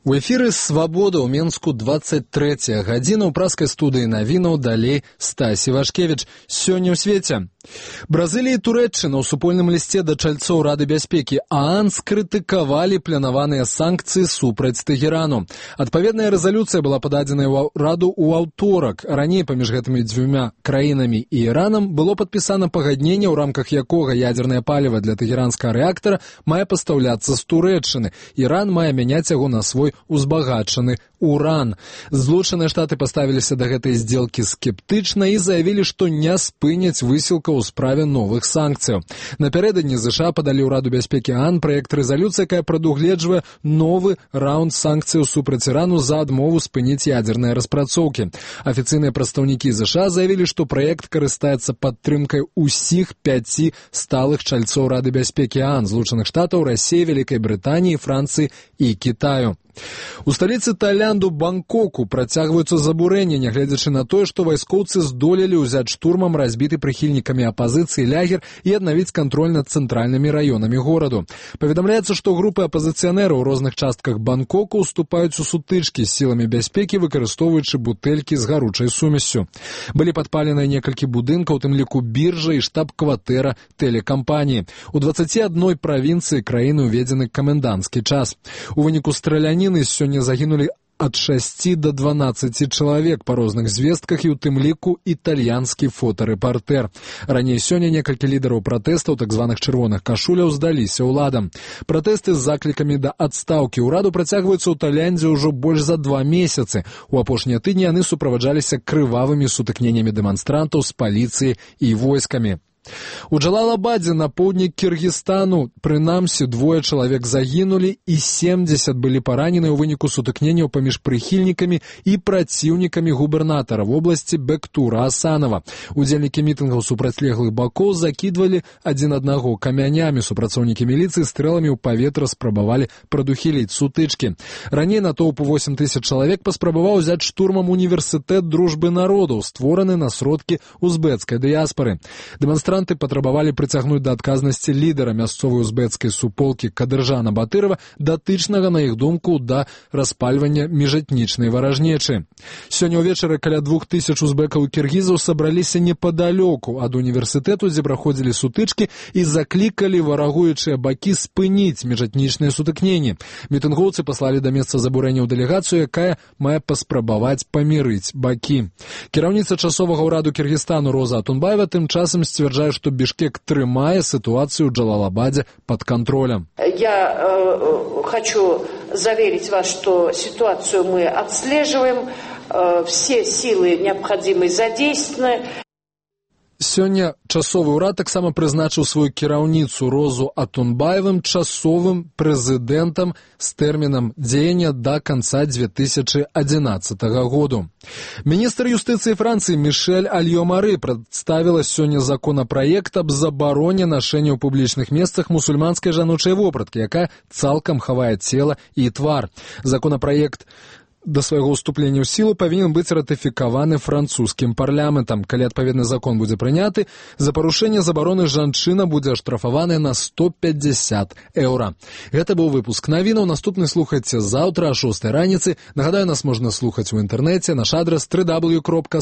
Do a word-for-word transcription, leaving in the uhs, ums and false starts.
У эфіры «Свабода» ў Менску двадцать трэцяя гадзіна ў праскай студыі навінаў, далей Стась Івашкевіч. Сёння ў свеце. Бразылія і Турэччына ў супольным лісце да чальцоў Рады бяспекі ААН скрытыкавалі планаваныя санкцыі супраць Тэгерану. Адпаведная рэзалюцыя была пададзеная ў Раду ў аўторак. Раней паміж гэтымі дзвюма краінамі і Іранам было падпісана пагадненне, ў рамках якога ядзернае паліва для тэгеранскага рэактара мае пастаўляцца з Турэччыны. Іран мае мяняць яго на свой узбагачаны уран. Злучаныя Штаты паставіліся да гэтай здзелкі скептычна і заявілі, што не спыняць высілка ў справе новых санкцыяў. Напярэдадні ЗША падалі ў Раду бяспекі ААН праект рэзалюцыі, якая прадугледжвае новы раунд санкцыяў супраць Ірану за адмову спыніць ядзерныя распрацоўкі. Афіцыйныя прадстаўнікі ЗША заявілі, што праект карыстаецца падтрымкай усіх пяці сталых чальцоў Рады бяспекі ААН, Злучаных Штатаў, Расіі, Вялікай Брытаніі, Францыі і Кітаю. У сталіцы Таіланду Бангкоку працягваюцца забурэнні, нягледзячы на тое, што вайскоўцы здолелі ўзяць штурмам разбіты прыхільнікамі апазіцыі лагер і аднавіць кантроль над цэнтральнымі раёнамі гораду. Паведамляецца, што групы апазіцыянераў у розных частках Бангкоку ўступаюць у сутычкі з сіламі бяспекі, выкарыстоўваючы бутэлькі з гаручай сумессю. Былі падпаленыя некалькі будынкаў, у тым ліку біржа і штаб-кватэра тэлекампаніі. У дваццаці адной правінцыі краіны ўведзены каменданцкі час. У выніку страляніны сёння загінулі ад шасці да дванаццаці чалавек па розных звестках і ў тым ліку італьянскі фотарэпартэр. Раней сёння некалькі лідараў пратэстаў, так званых чырвоных кашуляў, здаліся ўладам. Пратэсты з заклікамі да адстаўкі ўраду працягваюцца ў Таіландзе ўжо больш за два месяцы. У апошнія тыдні яны суправаджаліся крывавымі сутыкненнямі дэманстрантаў з паліцыяй і войскамі. У Джалалабадзе на поўдні Кіргізстану прынамсі двое чалавек загінулі і семдзесят былі паранены ў выніку сутыкненняў паміж прыхільнікамі і праціўнікамі губернатара вобласці Бектура Асанова. Удзельнікі мітынгаў супрацьлеглых бакоў закідвалі адзін аднаго камянямі. Супрацоўнікі міліцыі стрэламі ў паветра спрабавалі прадухіліць сутычкі. Раней натоўп восем тысяч чалавек паспрабаваў узяць штурмам універсітэт дружбы народаў, створаны на сродкі узбецкай дыяспары. Дэманстранты патрабавалі прыцягнуць да адказнасці лідара мясцовай узбецкай суполкі Кадыржана Батырова, датычнага, на іх думку, да распальвання міжэтнічнай варажнечы. Сёння ўвечары каля двух тысяч узбекаў і кіргізаў сабраліся непадалёку ад універсітэту, дзе праходзілі сутычкі, і заклікалі варагуючыя бакі спыніць міжэтнічныя сутыкненні. Мітынгоўцы паслалі да месца забурэнняў дэлегацыю, якая мае паспрабаваць памірыць бакі. Кіраўніца часовага ўраду Кіргізстану Роза Атунбаева тым часам сцвярджае, что Бишкек трымае ситуацию в Джалалабаде под контролем. Я э, хочу заверить вас, что ситуацию мы отслеживаем, э, все силы необходимые задействованы. Сёння часовы ўрад таксама прызначыў сваю кіраўніцу Розу Атунбаевым часовым прэзідэнтам з тэрмінам дзеяння да канца две тысячы адзінаццатага году. Міністр юстыцыі Францыі Мішэль Альё-Мары прадставіла сёння законапраект аб забароне нашэння ў публічных месцах мусульманскай жаночай вопраткі, якая цалкам хавае цела і твар. Законапраект да свайго ўступлення ў сілу павінен быць ратыфікаваны французскім парламентам. Калі адпаведны закон будзе прыняты, за парушэнне забароны жанчына будзе аштрафаваная на сто пятьдесят еўра. Гэта быў выпуск навінаў. Наступны слухайце заўтра о шостай раніцы. Нагадаю, нас можна слухаць у інтэрнэце. Наш адрас дабл ю дабл ю дабл ю кропка